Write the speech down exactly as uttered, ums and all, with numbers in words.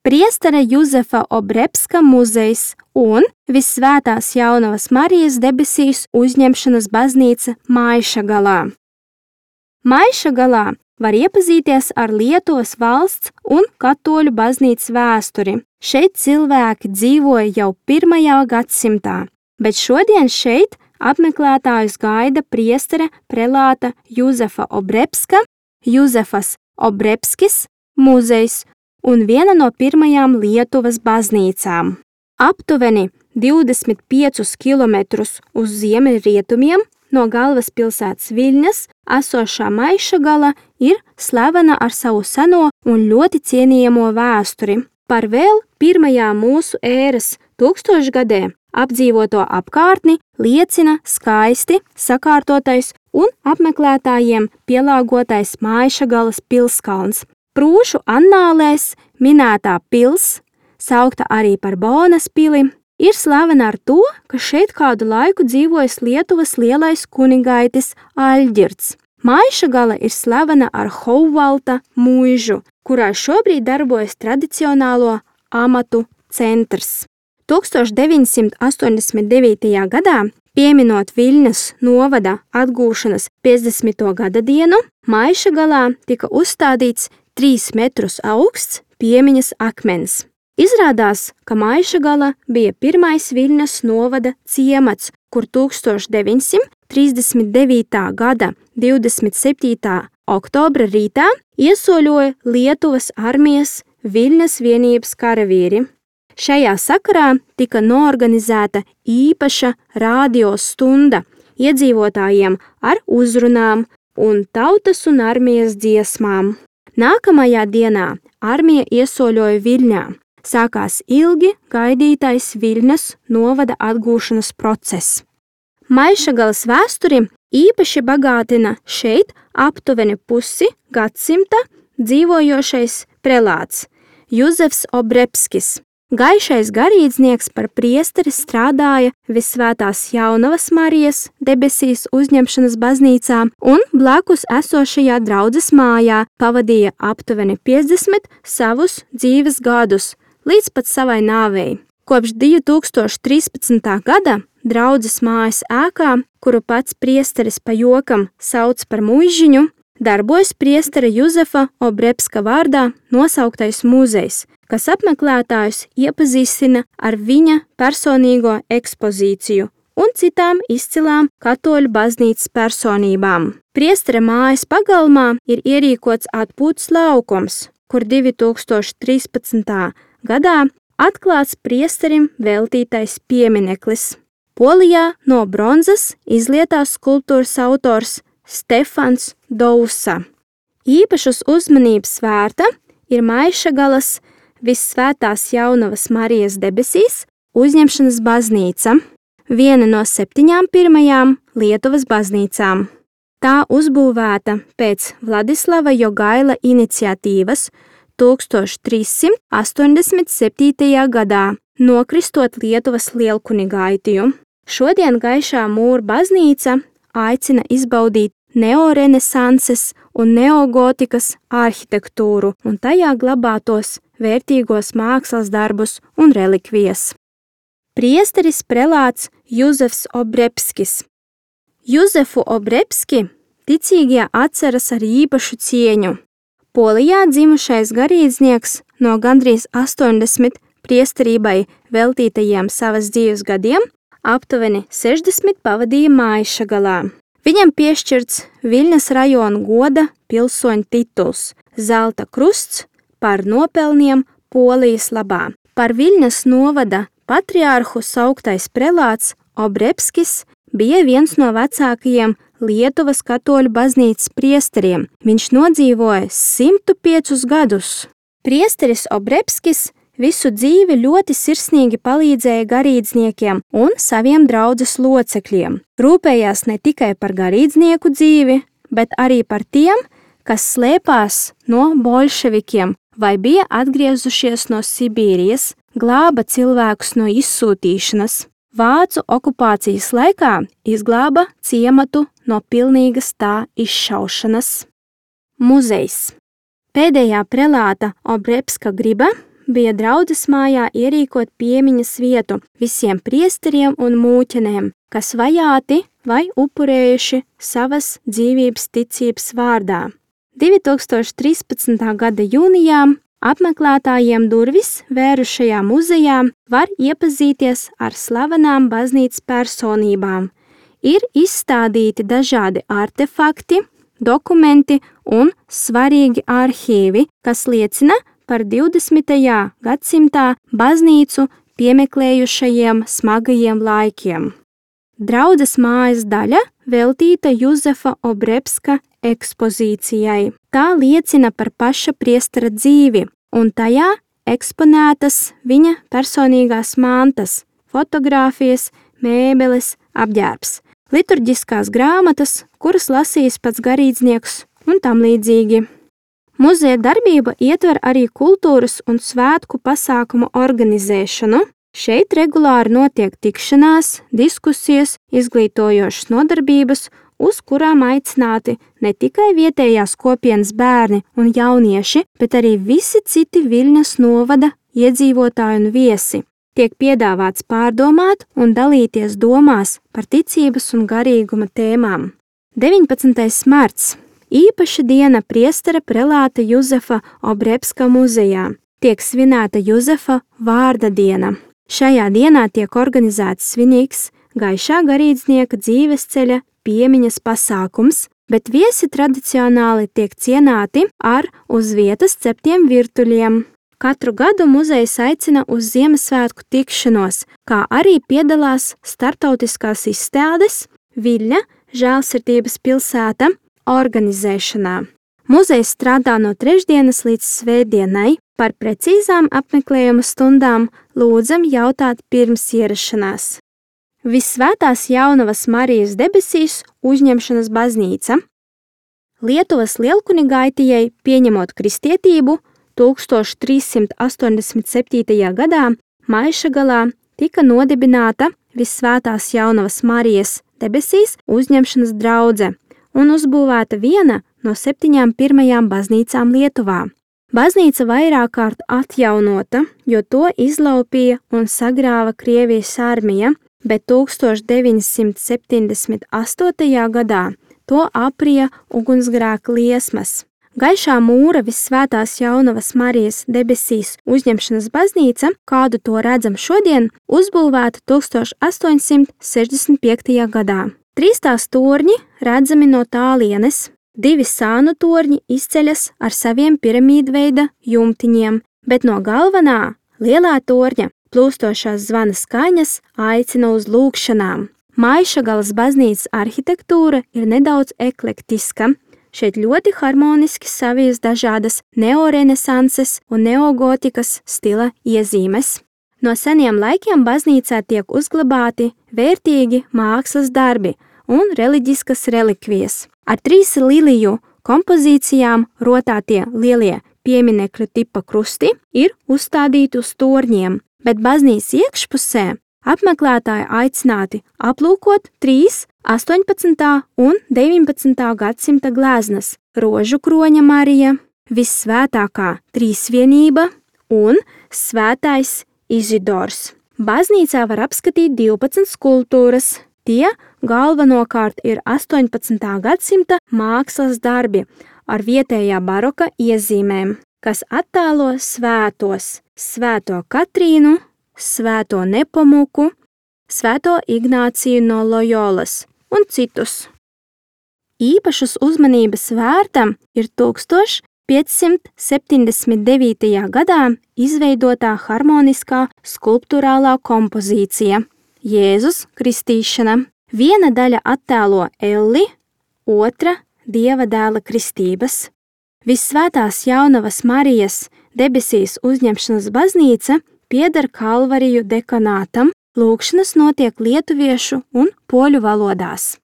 Priestera Juzefa Obrebska muzejs un Visvētās Jaunavas Marijas debesīs uzņemšanas baznīca Maišagalā. Maišagalā var iepazīties ar Lietuvas valsts un katoļu baznīcas vēsturi. Šeit cilvēki dzīvoja jau pirmajā gadsimtā, bet šodien šeit apmeklētājus gaida priestere prelāta Juzefa Obrebska, Juzefas Obrebskis muzejs un viena no pirmajām Lietuvas baznīcām. Aptuveni divdesmit piecus kilometrus uz ziemeļrietumiem no galvaspilsētas Viļņas esošā Maišagala ir slavena ar savu seno un ļoti cienījamo vēsturi. Par vēl pirmajā mūsu ēras tūkstošgadē apdzīvoto apkārtni liecina skaisti sakārtotais un apmeklētājiem pielāgotais Maišagalas pilskalns. Prūšu annālēs minētā pils, saukta arī par Bonas pili, ir slavena ar to, ka šeit kādu laiku dzīvojas Lietuvas lielais kunigaitis Aļģirds. Maišagala ir slavena ar Houvalta mūžu, kurā šobrīd darbojas tradicionālo amatu centrs. tūkstoš deviņsimt astoņdesmit devītajā gadā, pieminot Viļņas novada atgūšanas piecdesmito gada dienu, Maišagalā tika uzstādīts trīs metrus augsts piemiņas akmens. Izrādās, ka Maišagala bija pirmais Viļņas novada ciemats, kur tūkstoš deviņsimt trīsdesmit devītā gada divdesmit septītā oktobra rītā iesoļoja Lietuvas armijas Viļņas vienības karavīri. Šajā sakarā tika noorganizēta īpaša radio stunda iedzīvotājiem ar uzrunām un tautas un armijas dziesmām. Nākamajā dienā armija iesoļoja Viļņā. Sākās ilgi gaidītais Viļņas novada atgūšanas process. Maišagalas vēsturi īpaši bagātina šeit aptuveni pusi gadsimta dzīvojošais prelāts Juzefs Obrebskis. Gaišais garīdznieks par priesteri strādāja Visvētās Jaunavas Marijas debesīs uzņemšanas baznīcā un blakus esošajā draudzes mājā pavadīja aptuveni piecdesmit savus dzīves gadus līdz pat savai nāvei. Kopš divi tūkstoši trīspadsmitā gada draudzes mājas ēkā, kuru pats priesteris pa jokam sauc par muižiņu, darbojas priestera Juzefa Obrebska vārdā nosauktais muzejs, kas apmeklētājus iepazīstina ar viņa personīgo ekspozīciju un citām izcilām katoļu baznīcas personībām. Priestera mājas pagalmā ir ierīkots atpūtas laukums, kur divi tūkstoši trīspadsmitā gadā atklāts priesterim veltītais piemineklis. Polijā no bronzas izlietās skulptūras autors Stefans Dousa. Īpašas uzmanības vērta ir Maišagalas Visvētās Jaunavas Marijas debesīs uzņemšanas baznīca, viena no septiņām pirmajām Lietuvas baznīcām. Tā uzbūvēta pēc Vladislava Jogaila iniciatīvas tūkstoš trīssimt astoņdesmit septītajā gadā, nokristot Lietuvas lielkunigaitīju. Šodien Gaišā mūra baznīca aicina izbaudīt neorenesanses un neogotikas arhitektūru un tajā glabātos vērtīgos mākslas darbus un relikvijas. Priesteris prelāts Juzefs Obrebskis. Juzefu Obrebski ticīgie atceras ar īpašu cieņu. Polijā dzimušais garīdznieks no gandrīz astoņdesmit priesterībai veltītajiem savas dzīves gadiem aptuveni sešdesmit pavadīja Maišagalā. Viņam piešķirts Viļņas rajona goda pilsoņa tituls Zelta krusts par nopelniem Polijas labā. Par Viļņas novada patriārhu sauktais prelāts Obrebskis bija viens no vecākajiem Lietuvas katoļu baznīcas priesteriem. Viņš nodzīvoja simtu piecus gadus. Priesteris Obrebskis visu dzīvi ļoti sirsnīgi palīdzēja garīdzniekiem un saviem draudzes locekļiem. Rūpējās ne tikai par garīdznieku dzīvi, bet arī par tiem, kas slēpās no bolševikiem vai bija atgriezušies no Sibīrijas, glāba cilvēkus no izsūtīšanas. Vācu okupācijas laikā izglāba ciematu no pilnīgas tā izšaušanas. Muzejs. Pēdējā prelāta Obrebska griba bija draudzes mājā ierīkot piemiņas vietu visiem priesteriem un mūķenēm, kas vajāti vai upurējuši savas dzīvības ticības vārdā. divi tūkstoši trīspadsmitā gada jūnijā apmeklētājiem durvis vērušajā muzejā var iepazīties ar slavenām baznīcas personībām. Ir izstādīti dažādi artefakti, dokumenti un svarīgi arhīvi, kas liecina par divdesmitajā gadsimtā baznīcu piemeklējušajiem smagajiem laikiem. Draudzes mājas daļa veltīta Juzefa Obrebska ekspozīcijai. Tā liecina par paša priestera dzīvi, un tajā eksponētas viņa personīgās mantas, fotogrāfijas, mēbeles, apģērbs, liturģiskās grāmatas, kuras lasījis pats garīdznieks un tam līdzīgi. Muzeja darbība ietver arī kultūras un svētku pasākumu organizēšanu. Šeit regulāri notiek tikšanās, diskusijas, izglītojošas nodarbības, uz kurām aicināti ne tikai vietējās kopienas bērni un jaunieši, bet arī visi citi Viļņas novada iedzīvotāji un viesi. Tiek piedāvāts pārdomāt un dalīties domās par ticības un garīguma tēmām. deviņpadsmitais marts – īpaša diena priestera prelāta Juzefa Obrebska muzejā. Tiek svinēta Juzefa vārda diena. Šajā dienā tiek organizēts svinīgs gaišā garīdznieka dzīvesceļa piemiņas pasākums, bet viesi tradicionāli tiek cienāti ar uz vietas ceptiem virtuļiem. Katru gadu muzejs aicina uz Ziemassvētku tikšanos, kā arī piedalās startautiskās izstādes Viļņa Žēlsirdības pilsēta organizēšanā. Muzejs strādā no trešdienas līdz svētdienai. Par precīzām apmeklējuma stundām lūdzam jautāt pirms ierašanās. Visvētās Jaunavas Marijas debesīs uzņemšanas baznīca. Lietuvas lielkunigaitijai pieņemot kristietību tūkstoš trīs simt astoņdesmit septītajā gadā Maišagalā tika nodibināta Visvētās Jaunavas Marijas debesīs uzņemšanas draudze un uzbūvēta viena no septiņām pirmajām baznīcām Lietuvā. Baznīca vairāk kārt atjaunota, jo to izlaupīja un sagrāva Krievijas armija, bet tūkstoš deviņi simt septiņdesmit astotajā gadā to aprija ugunsgrēka liesmas. Gaišā mūra Visvētās Jaunavas Marijas debesīs uzņemšanas baznīca, kādu to redzam šodien, uzbūvēta tūkstoš astoņi simt sešdesmit piektajā gadā. Trīs tās torņi redzami no tālienes, divi sānu torņi izceļas ar saviem piramīdveida jumtiņiem, bet no galvenā, lielā torņa, plūstošās zvana skaņas aicina uz lūgšanām. Maišagalas baznīcas arhitektūra ir nedaudz eklektiska. Šeit ļoti harmoniski savies dažādas neorenesanses un neogotikas stila iezīmes. No seniem laikiem baznīcā tiek uzglabāti vērtīgi mākslas darbi un reliģiskas relikvijas. Ar trīs liliju kompozīcijām rotātie lielie pieminekļu tipa krusti ir uzstādīti uz torņiem, bet baznīcas iekšpusē apmeklētāji aicināti aplūkot trīs astoņpadsmitā un deviņpadsmitā gadsimta gleznas – Rožu kroņa Marija, Vissvētākā Trīsvienība un Svētais Izidors. Baznīcā var apskatīt divpadsmit skulptūras. Tie galvenokārt ir astoņpadsmitā gadsimta mākslas darbi ar vietējā baroka iezīmēm, kas attēlo svētos – Svēto Katrīnu, Svēto Nepomuku, Svēto Ignāciju no Lojolas un citus. Īpašas uzmanības vērta ir tūkstoš piecsimt septiņdesmit devītajā gadā izveidotā harmoniskā skulptūrālā kompozīcija Jēzus kristīšana. Viena daļa attēlo Elli, otra Dieva dēla kristības. Vissvētās Jaunavas Marijas debesīs uzņemšanas baznīca pieder Kalvariju dekanātam, lūgšanas notiek lietuviešu un poļu valodās.